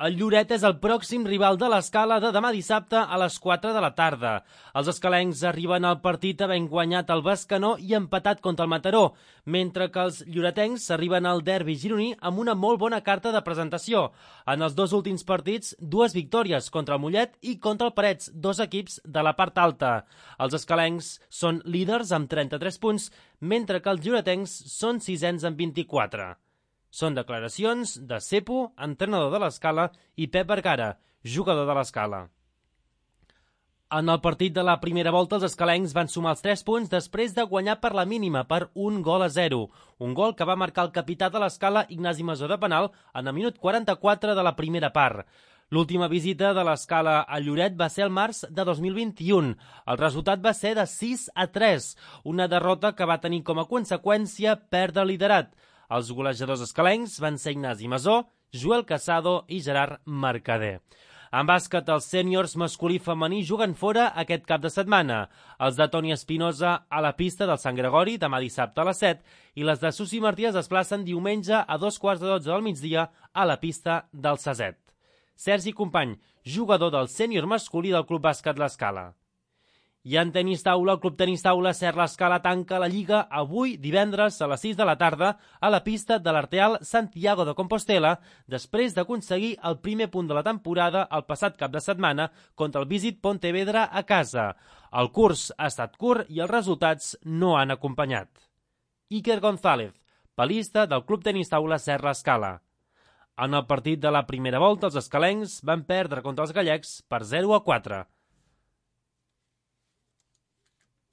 El Lloret és el pròxim rival de l'Escala de demà dissabte a les 4 de la tarda. Els escalencs arriben al partit havent guanyat el Bescanó i empatat contra el Mataró, mentre que els lloretencs arriben al derbi gironí amb una molt bona carta de presentació. En els dos últims partits, 2 victòries contra el Mollet i contra el Parets, 2 equips de la part alta. Els escalencs són líders amb 33 punts, mentre que els lloretencs són sisens amb 24. Són declaracions de Cepo, entrenador de l'Escala, i Pep Vergara, jugador de l'Escala. En el partit de la primera volta, els escalencs van sumar els 3 punts després de guanyar per la mínima per 1-0. Un gol que va marcar el capità de l'Escala, Ignasi Masó de penal, en el minut 44 de la primera part. L'última visita de l'Escala a Lloret va ser el març de 2021. El resultat va ser de 6-3, una derrota que va tenir com a conseqüència perdre el liderat. Els golejadors escalencs van ser Ignasi Masó, Joel Casado i Gerard Mercader. En bàsquet, els sèniors masculí i femení juguen fora aquest cap de setmana. Els de Toni Espinosa a la pista del Sant Gregori demà dissabte a les 7 i les de Susi Martí es desplacen diumenge a 2:15 del migdia a la pista del Saset. Sergi Company, jugador del sènior masculí del Club Bàsquet l'Escala. I en tenis taula, el Club Tenis Taula Ser l'Escala tanca la Lliga avui divendres a les 6 de la tarda a la pista de l'Arteal Santiago de Compostela després d'aconseguir el primer punt de la temporada el passat cap de setmana contra el Visit Pontevedra a casa. El curs ha estat curt i els resultats no han acompanyat. Iker González, palista del Club Tenis Taula Ser l'Escala. En el partit de la primera volta, els escalencs van perdre contra els gallecs per 0-4.